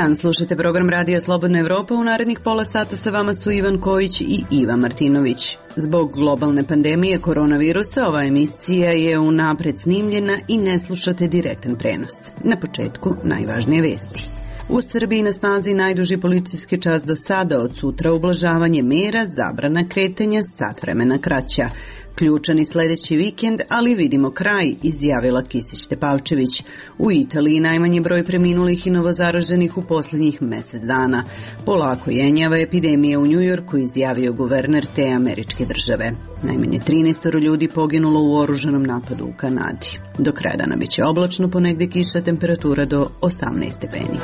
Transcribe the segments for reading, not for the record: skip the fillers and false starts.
dan, slušate program Radija Slobodna Evropa. U narednih pola sata sa vama su Ivan Kojić i Iva Martinović. Zbog globalne pandemije koronavirusa ova emisija je unapred snimljena i ne slušate direktan prenos. Na početku najvažnije vesti. U Srbiji na snazi najduži policijski čas do sada, od sutra ublažavanje mera, zabrana kretanja, sat vremena kraća. Ključan i sledeći vikend, ali vidimo kraj, izjavila Kisić-Tepavčević. U Italiji najmanji broj preminulih i novozaraženih u posljednjih mesec dana. Polako jenjava epidemija u Njujorku, izjavio guverner te američke države. Najmanje 13 ljudi poginulo u oružanom napadu u Kanadi. Do kraja dana biće oblačno, ponegde kiša, temperatura do 18 stepeni.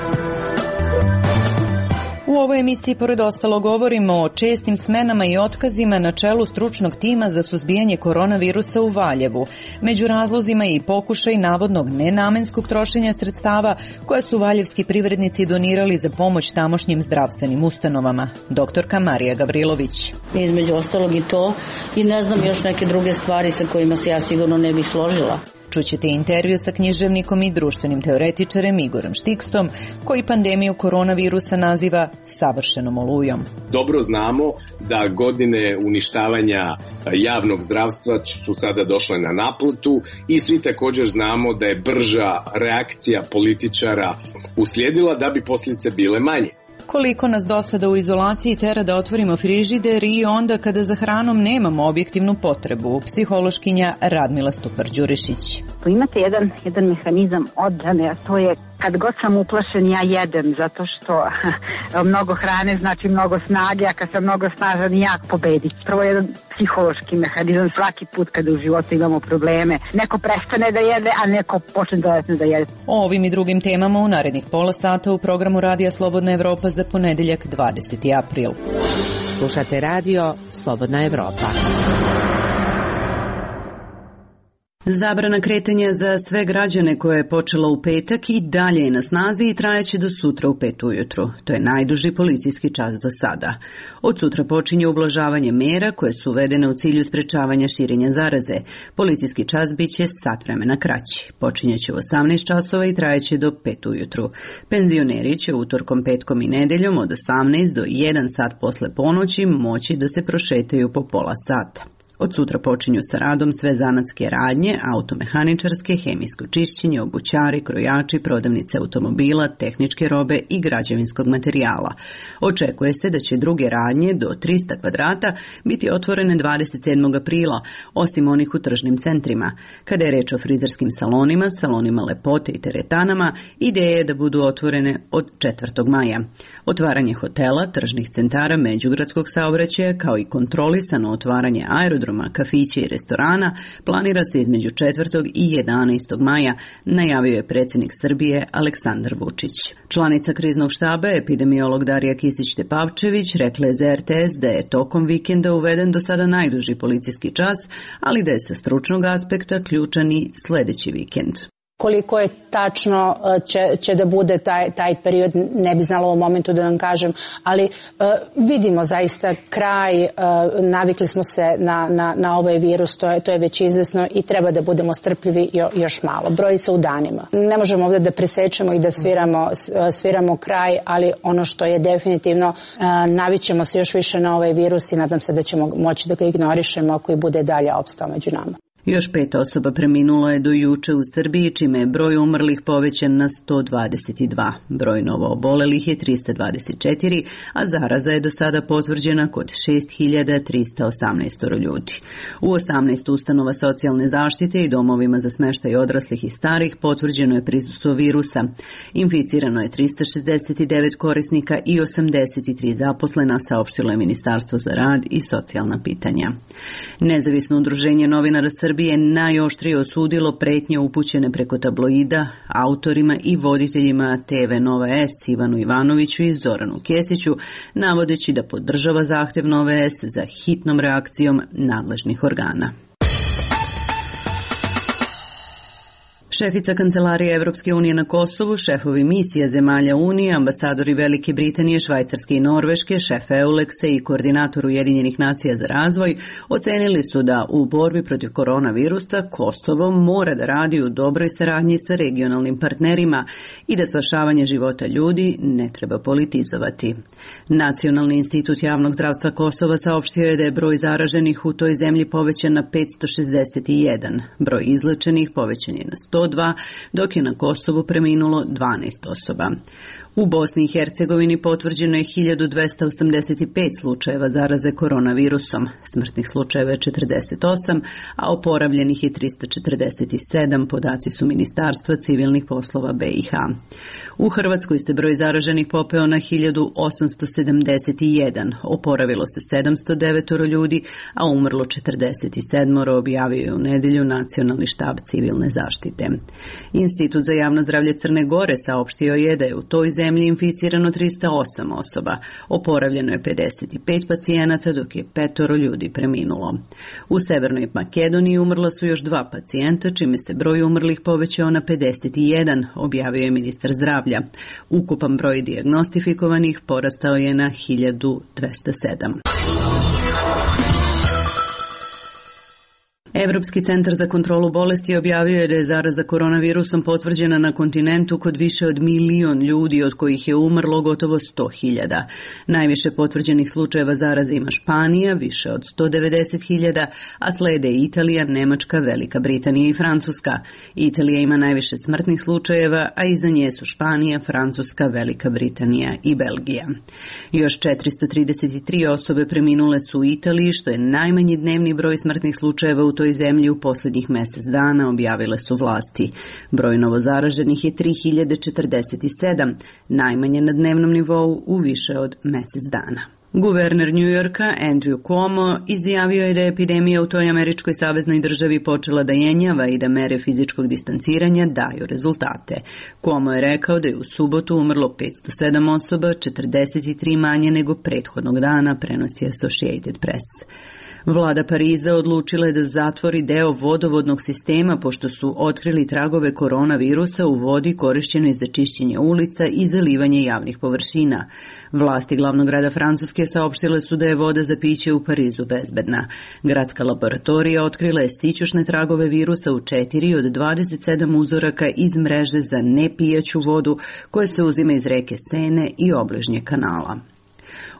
U ovoj emisiji pored ostalo govorimo o čestim smenama i otkazima na čelu stručnog tima za suzbijanje koronavirusa u Valjevu. Među razlozima je i pokušaj navodnog nenamenskog trošenja sredstava koja su valjevski privrednici donirali za pomoć tamošnjim zdravstvenim ustanovama. Doktorka Marija Gavrilović. Između ostalog i to, i ne znam još neke druge stvari sa kojima se ja sigurno ne bih složila. Čućete intervju sa književnikom i društvenim teoretičarem Igorom Štikstom, koji pandemiju koronavirusa naziva savršenom olujom. Dobro znamo da godine uništavanja javnog zdravstva su sada došle na naplatu i svi također znamo da je brža reakcija političara uslijedila da bi posljedice bile manje. Koliko nas do sada u izolaciji tera da otvorimo frižider i onda kada za hranom nemamo objektivnu potrebu, psihološkinja Radmila Stupar-Đurišić. Imate jedan mehanizam odbrane, a to je kad god sam uplašen ja jedem, zato što mnogo hrane znači mnogo snage, a kad sam mnogo snažan jak pobedit. Prvo je jedan psihološki mehanizam svaki put kada u životu imamo probleme. Neko prestane da jede, a neko počne dodatno da jede. O ovim i drugim temama u narednih pola sata u programu Radija Slobodna Evropa za ponedeljak 20. april. Slušate radio Slobodna Evropa. Zabrana kretanja za sve građane koja je počela u petak i dalje je na snazi i trajeće do sutra u 5 ujutru. To je najduži policijski čas do sada. Od sutra počinje ublažavanje mera koje su uvedene u cilju sprečavanja širenja zaraze. Policijski čas biće sat vremena kraći. Počinjeće u 18 časova i trajeće do 5 ujutru. Penzioneri će utorkom, petkom i nedeljom od 18 do 1 sat posle ponoći moći da se prošetaju po pola sata. Od sutra počinju sa radom sve zanatske radnje, automehaničarske, hemijsko čišćenje, obućari, krojači, prodavnice automobila, tehničke robe i građevinskog materijala. Očekuje se da će druge radnje do 300 kvadrata biti otvorene 27. aprila, osim onih u tržnim centrima. Kada je reč o frizerskim salonima, salonima lepote i teretanama, ideja je da budu otvorene od 4. maja. Otvaranje hotela, tržnih centara, međugradskog saobraćaja, kao i kontrolisano otvaranje aerodroma, kafića i restorana planira se između 4. i 11. maja, najavio je predsjednik Srbije Aleksandar Vučić. Članica kriznog štaba, epidemiolog Darija Kisić-Tepavčević, rekla je za RTS da je tokom vikenda uveden do sada najduži policijski čas, ali da je sa stručnog aspekta ključan i sledeći vikend. Koliko je tačno će da bude taj period, ne bi znala u ovom momentu da vam kažem, ali vidimo zaista kraj, navikli smo se na ovaj virus, to je već izvesno i treba da budemo strpljivi još malo. Broji se u danima. Ne možemo ovdje da presečemo i da sviramo kraj, ali ono što je definitivno, navićemo se još više na ovaj virus i nadam se da ćemo moći da ga ignorišemo ako i bude dalje opstao među nama. Još 5 osoba preminulo je do juče u Srbiji, čime je broj umrlih povećan na 122. Broj novoobolelih je 324, a zaraza je do sada potvrđena kod 6.318 ljudi. U 18 ustanova socijalne zaštite i domovima za smeštaj odraslih i starih potvrđeno je prisustvo virusa. Inficirano je 369 korisnika i 83 zaposlena, saopštilo je Ministarstvo za rad i socijalna pitanja. Nezavisno udruženje novinara Srbije najoštrije osudilo pretnje upućene preko tabloida autorima i voditeljima TV Nova S Ivanu Ivanoviću i Zoranu Kesiću, navodeći da podržava zahtev Nove S za hitnom reakcijom nadležnih organa. Šefica Kancelarije Evropske unije na Kosovu, šefovi misija zemalja Unije, ambasadori Velike Britanije, Švajcarske i Norveške, šef EULEX-a i koordinator Ujedinjenih nacija za razvoj ocenili su da u borbi protiv koronavirusa Kosovo mora da radi u dobroj saradnji sa regionalnim partnerima i da spašavanje života ljudi ne treba politizovati. Nacionalni institut javnog zdravstva Kosova saopštio je da je broj zaraženih u toj zemlji povećan na 561, broj izlečenih povećan je na 102, dok je na Kosovu preminulo 12 osoba. U Bosni i Hercegovini potvrđeno je 1285 slučajeva zaraze koronavirusom, smrtnih slučajeva je 48, a oporavljenih je 347, podaci su Ministarstva civilnih poslova BiH. U Hrvatskoj se broj zaraženih popeo na 1871, oporavilo se 709 ljudi, a umrlo 47, objavio je u nedelju Nacionalni štab civilne zaštite. Institut za javno zdravlje Crne Gore saopštio je da je u toj zemlji inficirano 308 osoba, oporavljeno je 55 pacijenata, dok je 5 ljudi preminulo. U Severnoj Makedoniji umrla su još 2 pacijenta, čime se broj umrlih povećao na 51, objavio je ministar zdravlja. Ukupan broj dijagnostifikovanih porastao je na 1207. Evropski centar za kontrolu bolesti objavio je da je zaraza koronavirusom potvrđena na kontinentu kod više od 1 milion ljudi, od kojih je umrlo gotovo 100.000. Najviše potvrđenih slučajeva zaraze ima Španija, više od 190.000, a slede Italija, Nemačka, Velika Britanija i Francuska. Italija ima najviše smrtnih slučajeva, a iza nje su Španija, Francuska, Velika Britanija i Belgija. Još 433 osobe preminule su u Italiji, što je najmanji dnevni broj smrtnih slučajeva u toj zemlji u posljednjih mjesec dana, objavile su vlasti. Broj novozaraženih je 3047, najmanje na dnevnom nivou u više od mjesec dana. Guverner New Yorka Andrew Cuomo izjavio je da je epidemija u toj američkoj saveznoj državi počela da jenjava i da mere fizičkog distanciranja daju rezultate. Cuomo je rekao da je u subotu umrlo 507 osoba, 43 manje nego prethodnog dana, prenosi Associated Press. Vlada Pariza odlučila je da zatvori deo vodovodnog sistema pošto su otkrili tragove koronavirusa u vodi korišćenoj za čišćenje ulica i zalivanje javnih površina. Vlasti glavnog grada Francuske saopštile su da je voda za piće u Parizu bezbedna. Gradska laboratorija otkrila je sićušne tragove virusa u 4 od 27 uzoraka iz mreže za nepijaću vodu koje se uzima iz reke Sene i obližnjeg kanala.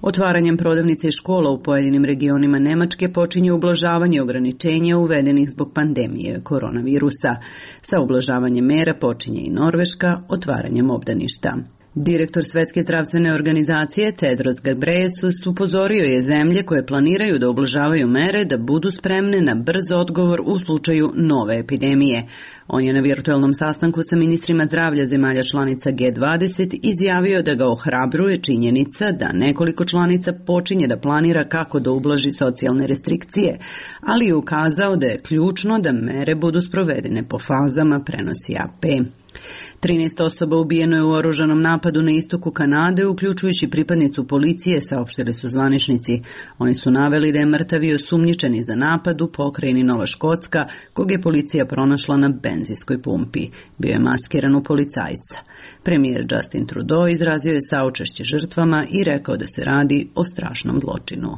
Otvaranjem prodavnice i škola u pojedinim regionima Nemačke počinje ublažavanje ograničenja uvedenih zbog pandemije koronavirusa. Sa ublažavanjem mera počinje i Norveška otvaranjem obdaništa. Direktor Svetske zdravstvene organizacije Tedros Ghebreyesus upozorio je zemlje koje planiraju da ublažavaju mere da budu spremne na brz odgovor u slučaju nove epidemije. On je na virtualnom sastanku sa ministrima zdravlja zemalja članica G20 izjavio da ga ohrabruje činjenica da nekoliko članica počinje da planira kako da ublaži socijalne restrikcije, ali je ukazao da je ključno da mere budu sprovedene po fazama, prenosi AP. 13 osoba ubijeno je u oružanom napadu na istoku Kanade, uključujući pripadnicu policije, saopštili su zvaničnici. Oni su naveli da je mrtav i osumnjičeni za napad u pokrajini Nova Škotska, kog je policija pronašla na benzinskoj pumpi. Bio je maskiran u policajca. Premijer Justin Trudeau izrazio je saučešće žrtvama i rekao da se radi o strašnom zločinu.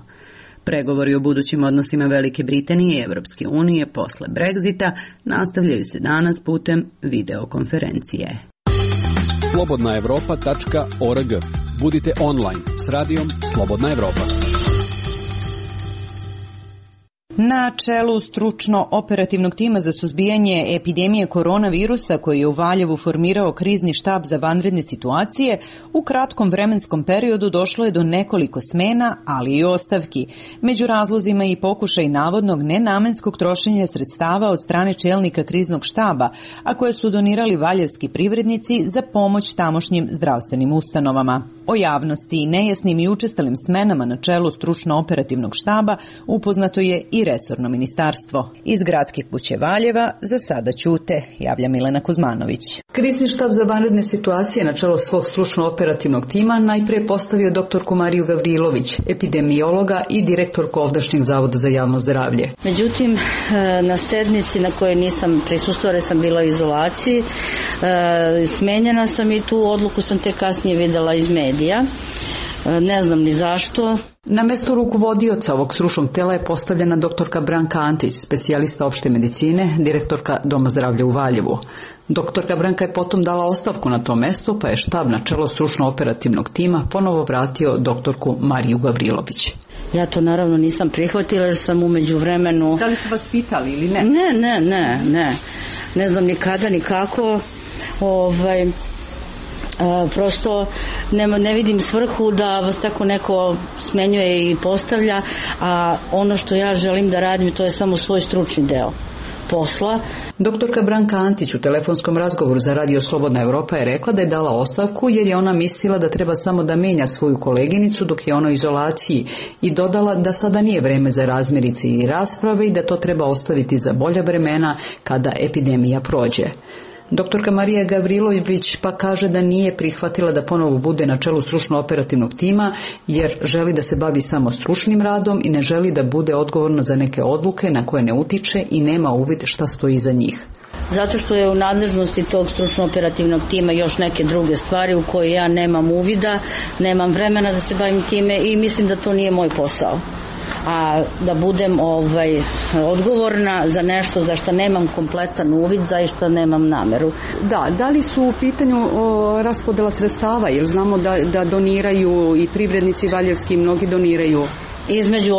Pregovori o budućim odnosima Velike Britanije i Evropske unije posle Brexita nastavljaju se danas putem videokonferencije. slobodnaevropa.org. Budite online s radijom Slobodna Evropa. Na čelu stručno-operativnog tima za suzbijanje epidemije koronavirusa koji je u Valjevu formirao krizni štab za vanredne situacije, u kratkom vremenskom periodu došlo je do nekoliko smena, ali i ostavki. Među razlozima i pokušaj navodnog nenamenskog trošenja sredstava od strane čelnika kriznog štaba, a koje su donirali valjevski privrednici za pomoć tamošnjim zdravstvenim ustanovama. O javnosti i nejasnim i učestalim smenama na čelu stručno-operativnog štaba upoznato je i resorno ministarstvo. Iz Gradske kuće Valjeva za sada ćute, javlja Milena Kuzmanović. Krizni štab za vanredne situacije na čelo svog stručno-operativnog tima najprije postavio doktorku Mariju Gavrilović, epidemiologa i direktorku ovdašnjeg Zavoda za javno zdravlje. Međutim, na sednici na kojoj nisam prisustvovala, sam bila u izolaciji, smenjena sam i tu odluku sam te kasnije videla iz medija. Ne znam ni zašto. Na mesto rukovodioca ovog stručnog tela je postavljena doktorka Branka Antić, specijalista opšte medicine, direktorka Doma zdravlja u Valjevu. Doktorka Branka je potom dala ostavku na to mesto, pa je štab na čelo stručno-operativnog tima ponovo vratio doktorku Mariju Gavrilović. Ja to naravno nisam prihvatila jer sam umeđu vremenu... Da li su vas pitali ili ne? Ne. Ne znam ni kada, ni kako. Prosto ne vidim svrhu da vas tako neko smenjuje i postavlja, a ono što ja želim da radim to je samo svoj stručni deo posla. Doktorka Branka Antić u telefonskom razgovoru za Radio Slobodna Evropa je rekla da je dala ostavku jer je ona mislila da treba samo da menja svoju koleginicu dok je ona u izolaciji i dodala da sada nije vreme za razmirice i rasprave i da to treba ostaviti za bolja vremena kada epidemija prođe. Doktorka Marija Gavrilović pa kaže da nije prihvatila da ponovo bude na čelu stručno-operativnog tima jer želi da se bavi samo stručnim radom i ne želi da bude odgovorna za neke odluke na koje ne utiče i nema uvid šta stoji iza njih. Zato što je u nadležnosti tog stručno-operativnog tima još neke druge stvari u koje ja nemam uvida, nemam vremena da se bavim time i mislim da to nije moj posao. A da budem odgovorna za nešto za što nemam kompletan uvid, zaista nemam nameru. Da li su u pitanju raspodela sredstava, jer znamo da doniraju i privrednici valjevski, mnogi doniraju? Između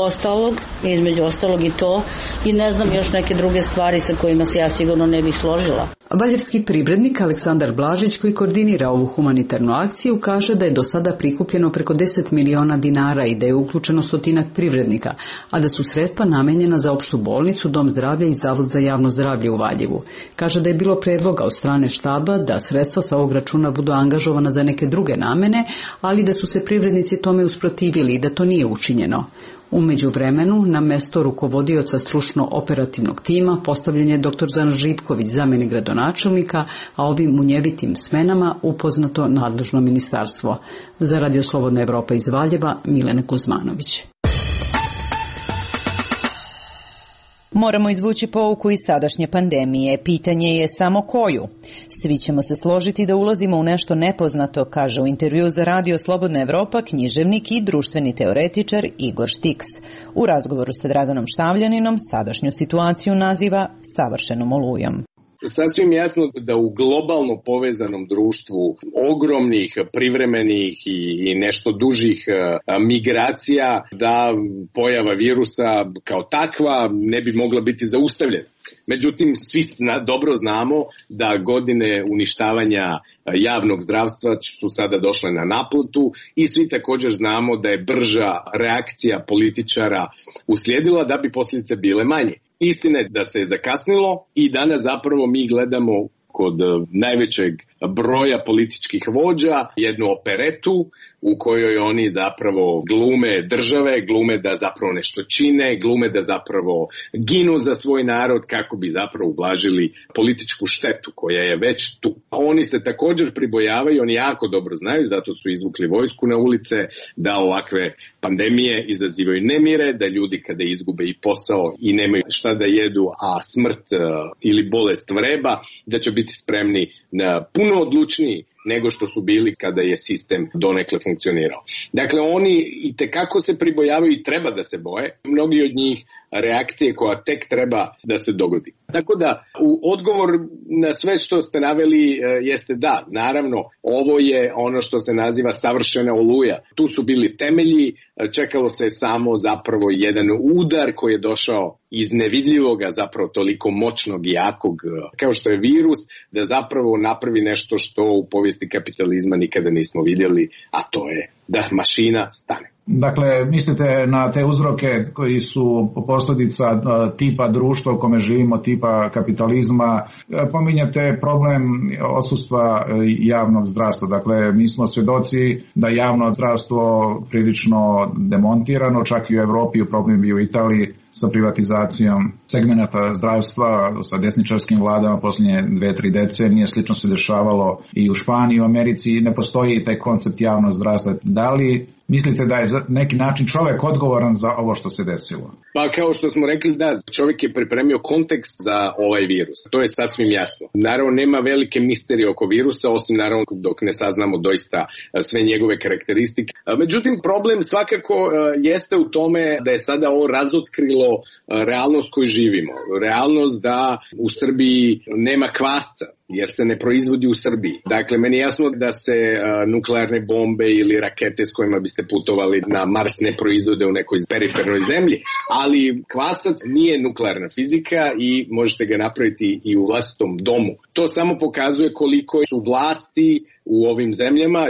ostalog i to, i ne znam još neke druge stvari sa kojima se ja sigurno ne bih složila. Valjevski privrednik Aleksandar Blažić, koji koordinira ovu humanitarnu akciju, kaže da je do sada prikupljeno preko 10 miliona dinara i da je uključeno 100 privrednika, a da su sredstva namenjena za opštu bolnicu, Dom zdravlja i Zavod za javno zdravlje u Valjevu. Kaže da je bilo predloga od strane štaba da sredstva sa ovog računa budu angažovana za neke druge namene, ali da su se privrednici tome usprotivili i da to nije učinjeno. U međuvremenu, na mesto rukovodioca stručno-operativnog tima postavljen je dr. Zoran Živković, zamenik gradonačelnika, a ovim munjevitim smenama upoznato nadležno ministarstvo. Za Radio Slobodna Evropa iz Valjeva, Milena Kuzmanović. Moramo izvući pouku iz sadašnje pandemije. Pitanje je samo koju. Svi ćemo se složiti da ulazimo u nešto nepoznato, kaže u intervju za Radio Slobodna Evropa književnik i društveni teoretičar Igor Štiks. U razgovoru sa Draganom Štavljaninom sadašnju situaciju naziva savršenom olujom. Sasvim jasno da u globalno povezanom društvu ogromnih, privremenih i nešto dužih migracija, da pojava virusa kao takva ne bi mogla biti zaustavljena. Međutim, svi dobro znamo da godine uništavanja javnog zdravstva su sada došle na naplatu i svi također znamo da je brža reakcija političara uslijedila da bi posljedice bile manje. Istina je da se je zakasnilo i danas zapravo mi gledamo kod najvećeg broja političkih vođa jednu operetu u kojoj oni zapravo glume države, glume da zapravo nešto čine, glume da zapravo ginu za svoj narod kako bi zapravo ublažili političku štetu koja je već tu. Oni se također pribojavaju, oni jako dobro znaju, zato su izvukli vojsku na ulice, da ovakve pandemije izazivaju nemire, da ljudi kada izgube i posao i nemaju šta da jedu, a smrt ili bolest vreba, da će biti spremni na puno odlučniji nego što su bili kada je sistem donekle funkcionirao. Dakle, oni i tekako se pribojavaju i treba da se boje. Mnogi od njih reakcije koja tek treba da se dogodi. Tako da, u odgovor na sve što ste naveli jeste da, naravno, ovo je ono što se naziva savršena oluja. Tu su bili temelji, čekalo se samo zapravo jedan udar koji je došao iz nevidljivoga, zapravo toliko moćnog i jakog kao što je virus, da zapravo napravi nešto što u povijesti kapitalizma nikada nismo vidjeli, a to je da mašina stane. Dakle, mislite na te uzroke koji su posljedica tipa društva u kome živimo, tipa kapitalizma. Pominjate problem odsustva javnog zdravstva. Dakle, mi smo svjedoci da javno zdravstvo prilično demontirano, čak i u Europi, u problem bio u Italiji sa privatizacijom segmenata zdravstva, sa desničarskim vladama posljednje 2-3 decenije. Slično se dešavalo i u Španiji i u Americi. Ne postoji taj koncept javnog zdravstva. Da li mislite da je za neki način čovjek odgovoran za ovo što se desilo? Pa kao što smo rekli, da, čovjek je pripremio kontekst za ovaj virus. To je sasvim jasno. Naravno, nema velike misterije oko virusa, osim naravno dok ne saznamo doista sve njegove karakteristike. Međutim, problem svakako jeste u tome da je sada ovo razotkrilo realnost koju živimo. Realnost da u Srbiji nema kvasca, jer se ne proizvodi u Srbiji. Dakle, meni je jasno da se nuklearne bombe ili rakete s kojima biste putovali na Mars ne proizvode u nekoj perifernoj zemlji, ali kvasac nije nuklearna fizika i možete ga napraviti i u vlastitom domu. To samo pokazuje koliko su vlasti u ovim zemljama,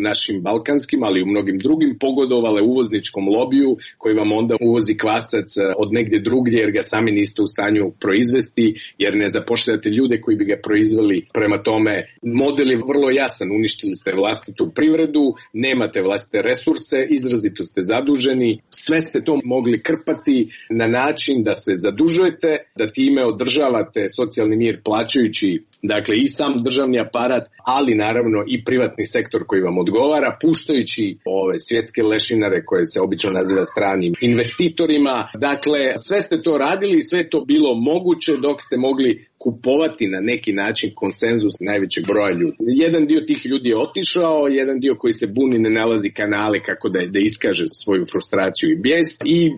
našim balkanskim, ali i u mnogim drugim, pogodovale uvozničkom lobiju koji vam onda uvozi kvasac od negdje drugdje jer ga sami niste u stanju proizvesti, jer ne zapošljavate ljude koji bi ga proizveli. Prema tome, model je vrlo jasan, uništili ste vlastitu privredu, nemate vlastite resurse, izrazito ste zaduženi, sve ste to mogli krpati na način da se zadužujete, da time održavate socijalni mir plaćajući, dakle, i sam državni aparat, ali naravno i privatni sektor koji vam odgovara, puštajući ove svjetske lešinare koje se obično naziva stranim investitorima. Dakle, sve ste to radili i sve to bilo moguće dok ste mogli kupovati na neki način konsenzus najvećeg broja ljudi. Jedan dio tih ljudi je otišao, jedan dio koji se buni ne nalazi kanale kako da iskaže svoju frustraciju i bijes i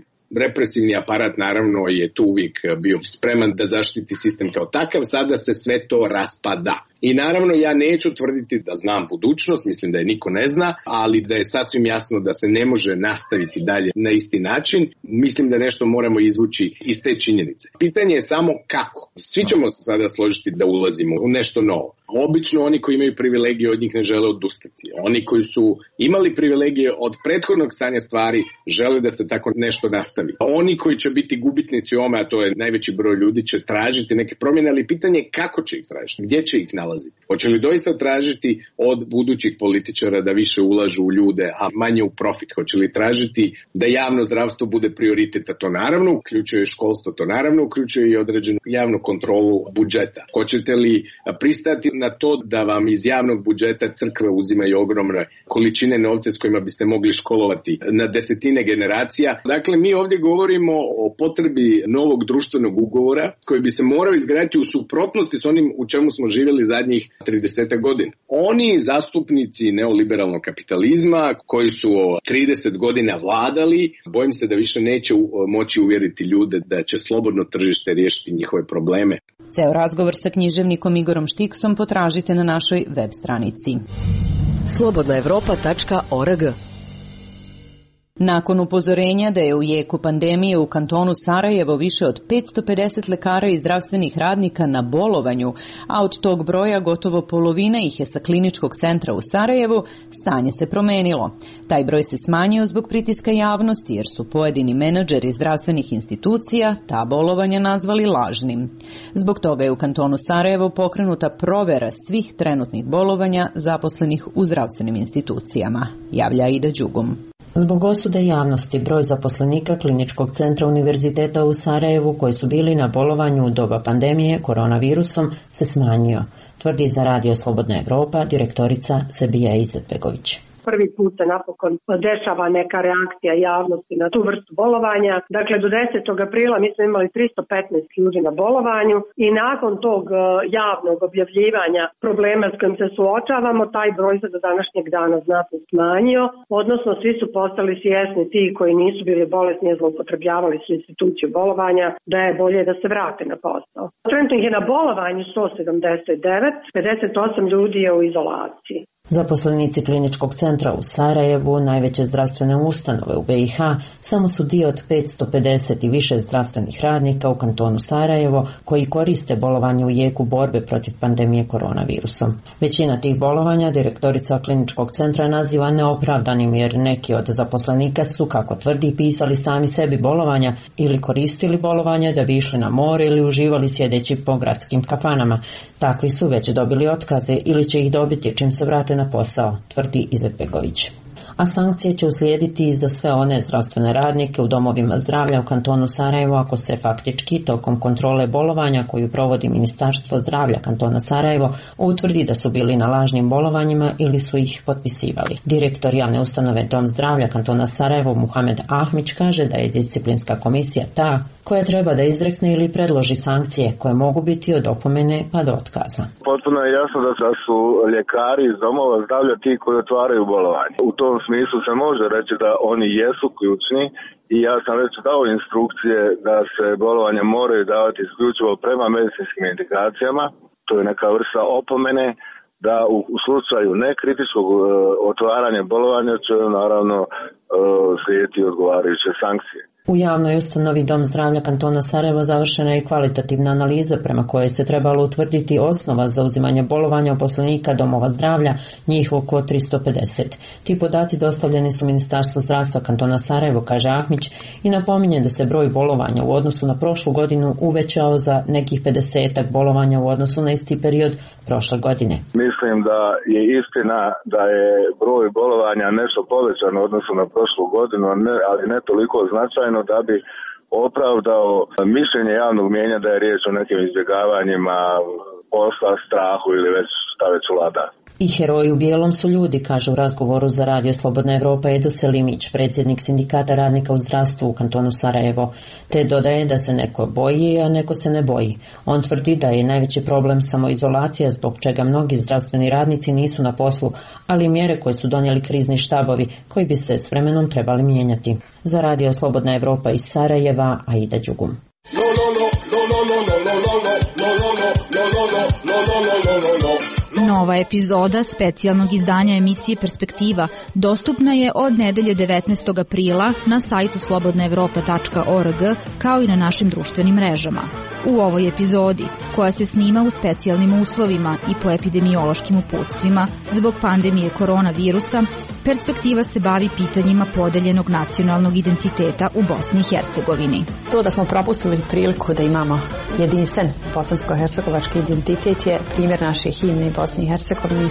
represivni aparat naravno je tu uvijek bio spreman da zaštiti sistem kao takav, sada se sve to raspada. I naravno ja neću tvrditi da znam budućnost, mislim da je niko ne zna, ali da je sasvim jasno da se ne može nastaviti dalje na isti način. Mislim da nešto moramo izvući iz te činjenice. Pitanje je samo kako. Svi ćemo se sada složiti da ulazimo u nešto novo. Obično oni koji imaju privilegije od njih ne žele odustati. Oni koji su imali privilegije od prethodnog stanja stvari žele da se tako nešto nastavi. Oni koji će biti gubitnici ome, a to je najveći broj ljudi, će tražiti neke promjene, ali pitanje je kako će ih tražiti, gdje će ih nalaziti. Hoće li doista tražiti od budućih političara da više ulažu u ljude, a manje u profit? Hoće li tražiti da javno zdravstvo bude prioritet, a to naravno uključuje školstvo, to naravno uključuje i određenu javnu kontrolu budžeta? Hoćete li pristati na to da vam iz javnog budžeta crkve uzimaju ogromne količine novca s kojima biste mogli školovati na desetine generacija? Dakle, mi ovdje govorimo o potrebi novog društvenog ugovora koji bi se morao izgraditi u suprotnosti s onim u čemu smo živjeli zadnjih 30 godina. Oni zastupnici neoliberalnog kapitalizma koji su 30 godina vladali, bojim se da više neće moći uvjeriti ljude da će slobodno tržište riješiti njihove probleme. Ceo razgovor sa književnikom Igorom Štiksom potražite na našoj web stranici. slobodnaevropa.org. Nakon upozorenja da je u jeku pandemije u kantonu Sarajevo više od 550 lekara i zdravstvenih radnika na bolovanju, a od tog broja gotovo polovina ih je sa kliničkog centra u Sarajevu, stanje se promenilo. Taj broj se smanjio zbog pritiska javnosti jer su pojedini menadžeri zdravstvenih institucija ta bolovanja nazvali lažnim. Zbog toga je u kantonu Sarajevo pokrenuta provera svih trenutnih bolovanja zaposlenih u zdravstvenim institucijama, javlja Ida Đugum. Zbog osude javnosti, broj zaposlenika Kliničkog centra Univerziteta u Sarajevu koji su bili na bolovanju u doba pandemije koronavirusom se smanjio, tvrdi za Radio Slobodna Evropa direktorica Sebija Izetbegović. Prvi put se napokon dešava neka reakcija javnosti na tu vrstu bolovanja. Dakle, do 10. aprila mi smo imali 315 ljudi na bolovanju i nakon tog javnog objavljivanja problema s kojim se suočavamo, taj broj se do današnjeg dana znatno smanjio, odnosno svi su postali svjesni, ti koji nisu bili bolesni i zloupotrebljavali su instituciju bolovanja, da je bolje da se vrate na posao. Trenutno ih je na bolovanju 179, 58 ljudi je u izolaciji. Zaposlenici kliničkog centra u Sarajevu, najveće zdravstvene ustanove u BiH, samo su dio od 550 i više zdravstvenih radnika u kantonu Sarajevo koji koriste bolovanje u jeku borbe protiv pandemije koronavirusom. Većina tih bolovanja direktorica kliničkog centra naziva neopravdanim jer neki od zaposlenika su, kako tvrdi, pisali sami sebi bolovanja ili koristili bolovanje da bi išli na more ili uživali sjedeći po gradskim kafanama. Takvi su već dobili otkaze ili će ih dobiti čim se vrate na posao, tvrdi Izetbegović. A sankcije će uslijediti i za sve one zdravstvene radnike u domovima zdravlja u kantonu Sarajevo ako se faktički tokom kontrole bolovanja koju provodi Ministarstvo zdravlja kantona Sarajevo utvrdi da su bili na lažnim bolovanjima ili su ih potpisivali. Direktor javne ustanove Dom zdravlja kantona Sarajevo Muhamed Ahmić kaže da je disciplinska komisija ta koja treba da izrekne ili predloži sankcije koje mogu biti od opomene pa do otkaza. Potpuno je jasno da su ljekari iz domova zdravlja ti koji otvaraju bolovanje. U tom smislu se može reći da oni jesu ključni i ja sam već dao instrukcije da se bolovanje moraju davati isključivo prema medicinskim indikacijama. To je neka vrsta opomene da u slučaju nekritičkog otvaranja bolovanja će naravno slijediti odgovarajuće sankcije. U javnoj ustanovi Dom zdravlja kantona Sarajevo završena je kvalitativna analiza prema kojoj se trebalo utvrditi osnova za uzimanje bolovanja uposlenika domova zdravlja, njih oko 350. Ti podaci dostavljeni su Ministarstvu zdravstva kantona Sarajevo, kaže Ahmić, i napominje da se broj bolovanja u odnosu na prošlu godinu uvećao za nekih 50 bolovanja u odnosu na isti period prošle godine. Mislim da je istina da je broj bolovanja nešto povećan u odnosu na prošlu godinu, ali ne toliko značajno da bi opravdao mišljenje javnog mnijenja da je riječ o nekim izbjegavanjima posla, strahu ili već šta već vlada. I heroji u bijelom su ljudi, kaže u razgovoru za Radio Slobodna Evropa Edo Selimić, predsjednik sindikata radnika u zdravstvu u kantonu Sarajevo, te dodaje da se neko boji, a neko se ne boji. On tvrdi da je najveći problem samoizolacija zbog čega mnogi zdravstveni radnici nisu na poslu, ali mjere koje su donijeli krizni štabovi koji bi se s vremenom trebali mijenjati. Za Radio Slobodna Evropa iz Sarajeva, Aida Đugum. Nova epizoda specijalnog izdanja emisije Perspektiva dostupna je od nedelje 19. aprila na sajtu slobodnaevropa.org kao i na našim društvenim mrežama. U ovoj epizodi, koja se snima u specijalnim uslovima i po epidemiološkim uputstvima zbog pandemije koronavirusa, Perspektiva se bavi pitanjima podeljenog nacionalnog identiteta u Bosni i Hercegovini. To da smo propustili priliku da imamo jedinstven bosansko-hercegovački identitet je primjer naše himne Bosni i Hercegovini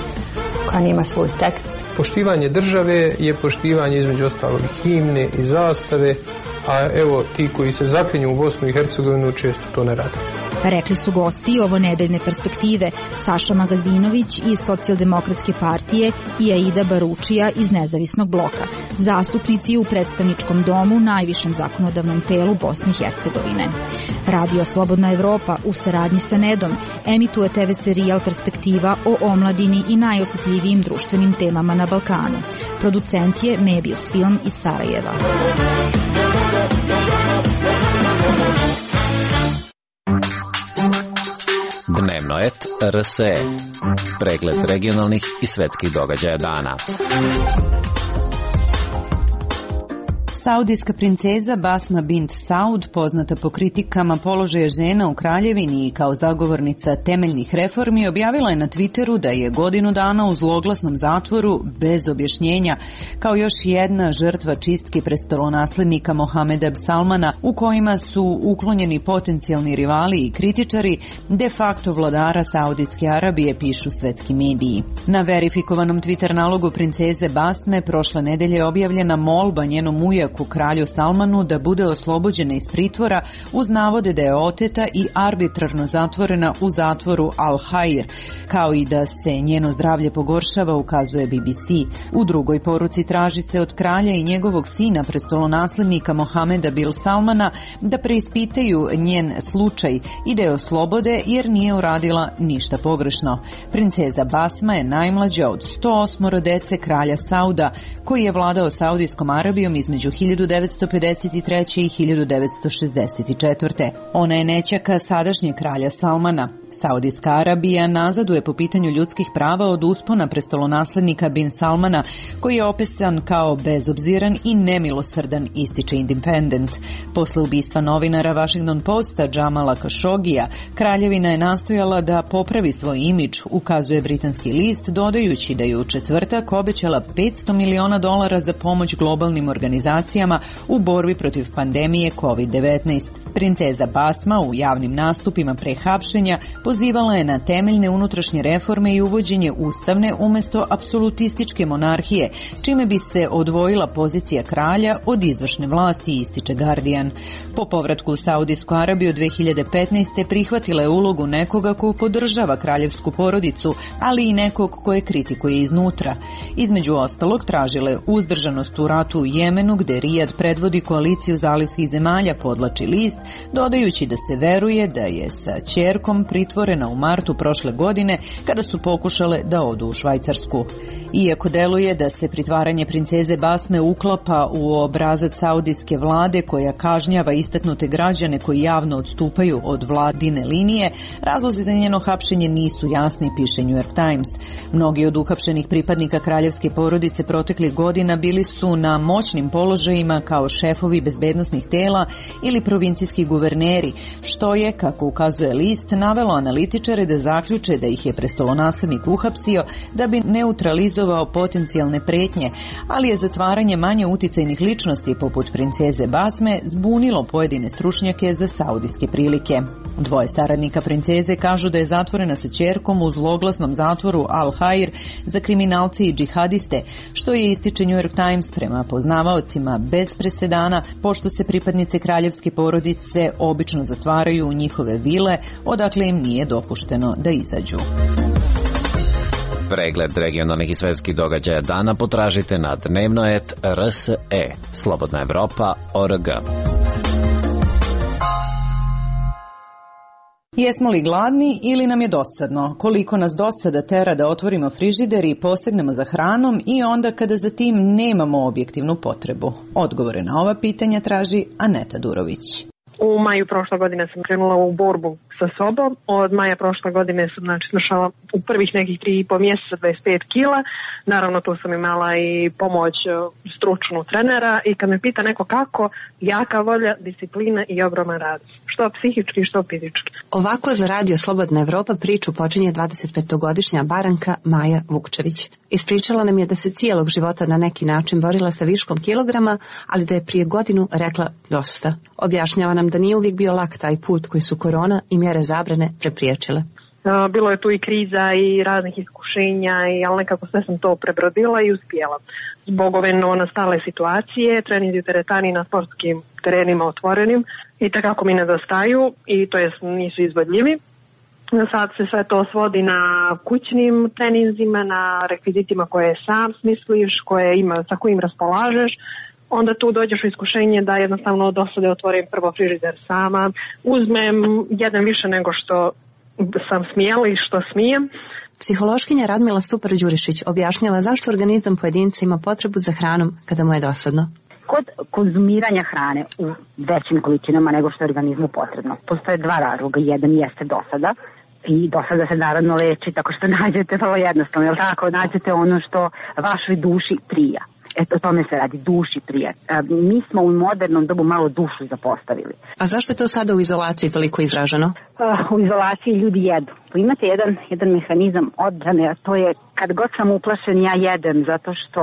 koja nema svoj tekst. Poštivanje države je poštivanje između ostalog himne i zastave, a evo ti koji se zaklinju u Bosnu i Hercegovinu često to ne rade. Rekli su gosti ovo nedeljne Perspektive Saša Magazinović iz Socijaldemokratske partije i Aida Baručija iz Nezavisnog bloka, zastupnici u predstavničkom domu, najvišem zakonodavnom telu Bosne i Hercegovine. Radio Slobodna Evropa u saradnji sa Nedom emituje TV serijal Perspektiva o omladini i najosjetljivijim društvenim temama na Balkanu. Producent je Mebius Film iz Sarajeva. Dnevnoet RSE. Pregled regionalnih i svetskih događaja dana. Saudijska princeza Basma bint Saud, poznata po kritikama položaja žena u kraljevini i kao zagovornica temeljnih reformi, objavila je na Twitteru da je godinu dana u zloglasnom zatvoru bez objašnjenja kao još jedna žrtva čistke prestolonaslednika Mohameda bin Salmana, u kojima su uklonjeni potencijalni rivali i kritičari de facto vladara Saudijske Arabije, pišu svetski mediji. Na verifikovanom Twitter nalogu princeze Basme prošle nedelje je objavljena molba njenom ujaku kralju Salmanu da bude oslobođena iz pritvora uz navode da je oteta i arbitrarno zatvorena u zatvoru Al-Hair, kao i da se njeno zdravlje pogoršava, ukazuje BBC. U drugoj poruci traži se od kralja i njegovog sina, prestolonaslednika Mohameda bin Salmana, da preispitaju njen slučaj i da je oslobode jer nije uradila ništa pogrešno. Princeza Basma je najmlađa od 108 dece kralja Sauda, koji je vladao Saudijskom Arabijom između 1953. i 1964. Ona je nećaka sadašnjeg kralja Salmana. Saudijska Arabija nazaduje po pitanju ljudskih prava od uspona prestolonaslednika Bin Salmana, koji je opisan kao bezobziran i nemilosrdan, ističe Independent. Posle ubistva novinara Washington Posta Jamala Khashogija, kraljevina je nastojala da popravi svoj imidž, ukazuje britanski list, dodajući da je u četvrtak obećala $500 miliona za pomoć globalnim organizacijama u borbi protiv pandemije COVID-19. Princeza Basma u javnim nastupima pre hapšenja pozivala je na temeljne unutrašnje reforme i uvođenje ustavne umesto apsolutističke monarhije, čime bi se odvojila pozicija kralja od izvršne vlasti, ističe Guardian. Po povratku u Saudijsku Arabiju 2015. prihvatila je ulogu nekoga ko podržava kraljevsku porodicu, ali i nekog koje kritikuje iznutra. Između ostalog, tražila je uzdržanost u ratu u Jemenu, gde Rijad predvodi koaliciju zalivskih zemalja, podlači list, dodajući da se veruje da je sa ćerkom pritvorena u martu prošle godine kada su pokušale da odu u Švajcarsku. Iako deluje da se pritvaranje princeze Basme uklapa u obrazac saudijske vlade koja kažnjava istaknute građane koji javno odstupaju od vladine linije, razlozi za njeno hapšenje nisu jasni, piše New York Times. Mnogi od uhapšenih pripadnika kraljevske porodice proteklih godina bili su na moćnim položajima kao šefovi bezbednosnih tela ili provincijski guverneri, što je, kako ukazuje list, navelo analitičare da zaključe da ih je prestolonaslednik uhapsio da bi neutralizovao potencijalne pretnje, ali je zatvaranje manje uticajnih ličnosti poput princeze Basme zbunilo pojedine stručnjake za saudijske prilike. Dvoje saradnika princeze kažu da je zatvorena sa ćerkom u zloglasnom zatvoru Al-Hair za kriminalce i džihadiste, što je, ističe New York Times, prema poznavaocima bez presedana, pošto se pripadnice kraljevske porodice obično zatvaraju u njihove vile, odakle im nije dopušteno da izađu. Pregled regionalnih i svetskih događaja dana potražite na dnevnoet.rse, slobodnaevropa.org. Jesmo li gladni ili nam je dosadno? Koliko nas dosada tera da otvorimo frižider i posegnemo za hranom i onda kada za tim nemamo objektivnu potrebu? Odgovore na ova pitanja traži Aneta Durović. U maju prošle godine sam krenula u borbu sa sobom. Od maja prošle godine sam smršala u prvih nekih 3,5 mjeseca 25 kila. Naravno tu sam imala i pomoć stručnu trenera i kad me pita neko kako, jaka volja, disciplina i ogroman rad. Što psihički, što fizički. Ovako za Radio Slobodna Evropa priču počinje 25-godišnja Baranka Maja Vukčević. Ispričala nam je da se cijelog života na neki način borila sa viškom kilograma, ali da je prije godinu rekla dosta. Objašnjava nam da nije uvijek bio lak taj put koji su korona i mjere zabrane prepriječile. Bilo je tu i kriza i raznih iskušenja, ali nekako sve sam to prebrodila i uspjela. Zbog ove novonastale situacije, treninzi u teretani na sportskim terenima otvorenim i takako mi nedostaju i to jest nisu izvodljivi. Sad se sve to svodi na kućnim treninzima, na rekvizitima koje sam smisliš, sa kojim raspolažeš. Onda tu dođeš u iskušenje da jednostavno od dosade otvorim prvo frižider sama, uzmem jedan više nego što sam smjela i što smijem. Psihološkinja Radmila Stupar-Đurišić objašnjava zašto organizam pojedinca ima potrebu za hranom kada mu je dosadno. Kod konzumiranja hrane u većim količinama nego što je organizmu potrebno, postoje dva razloga. Jedan jeste dosada i dosada se naravno leči tako što nađete vrlo jednostavno, jel tako? Nađete ono što vašoj duši prija. O tome se radi, duši prija. Mi smo u modernom dobu malo dušu zapostavili. A zašto je to sada u izolaciji toliko izraženo? U izolaciji ljudi jedu. Imate jedan mehanizam odbrane, a to je kad god sam uplašen ja jedem, zato što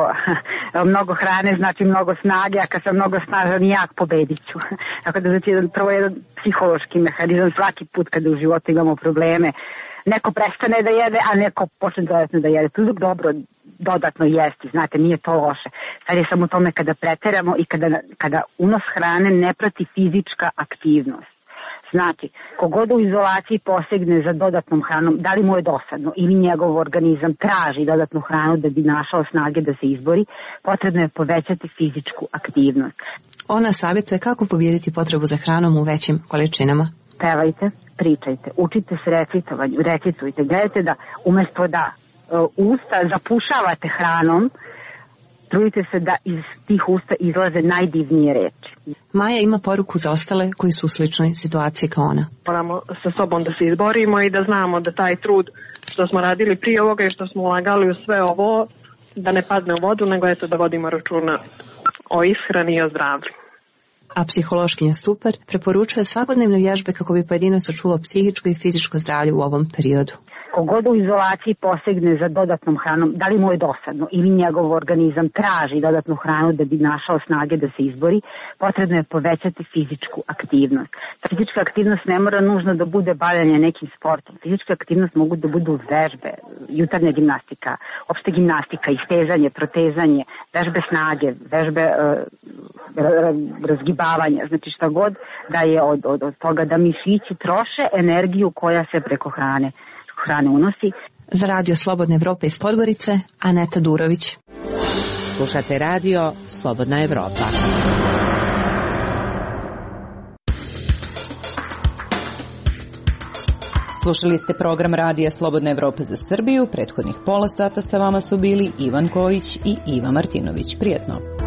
mnogo hrane znači mnogo snage, a kad sam mnogo snažan jak pobedit ću. Tako da znači prvo jedan psihološki mehanizam svaki put kada u životu imamo probleme. Neko prestane da jede, a neko počne dodatno da jede. Tu je dobro dodatno jesti, znate, nije to loše. Sad je samo u tome kada preteramo i kada unos hrane ne prati fizička aktivnost. Znači, kogod u izolaciji posegne za dodatnom hranom, da li mu je dosadno ili njegov organizam traži dodatnu hranu da bi našao snage da se izbori, potrebno je povećati fizičku aktivnost. Ona savjetuje kako pobijediti potrebu za hranom u većim količinama. Pevajte, pričajte, učite se recitovanju, recitujte, gledajte da umjesto da usta zapušavate hranom, trudite se da iz tih usta izlaze najdivnije reči. Maja ima poruku za ostale koji su u sličnoj situaciji kao ona. Moramo sa sobom da se izborimo i da znamo da taj trud što smo radili prije ovoga i što smo ulagali u sve ovo, da ne padne u vodu, nego eto da vodimo računa o ishrani i o zdravlju. A psihološkinja Stupar preporučuje svakodnevne vježbe kako bi pojedinac očuvao psihičko i fizičko zdravlje u ovom periodu. Kogod u izolaciji posegne za dodatnom hranom, da li mu je dosadno ili njegov organizam traži dodatnu hranu da bi našao snage da se izbori, potrebno je povećati fizičku aktivnost. Fizička aktivnost ne mora nužno da bude bavljanje nekim sportom. Fizička aktivnost mogu da budu vežbe, jutarnja gimnastika, opšte gimnastika, istezanje, protezanje, vežbe snage, vežbe razgibavanja, znači šta god da je od toga da mišići troše energiju koja se preko hrane unosi. Za Radio Slobodne Evrope iz Podgorice, Aneta Durović. Slušate Radio Slobodna Evropa. Slušali ste program Radija Slobodna Evropa za Srbiju. Prethodnih pola sata sa vama su bili Ivan Kojić i Iva Martinović. Prijetno.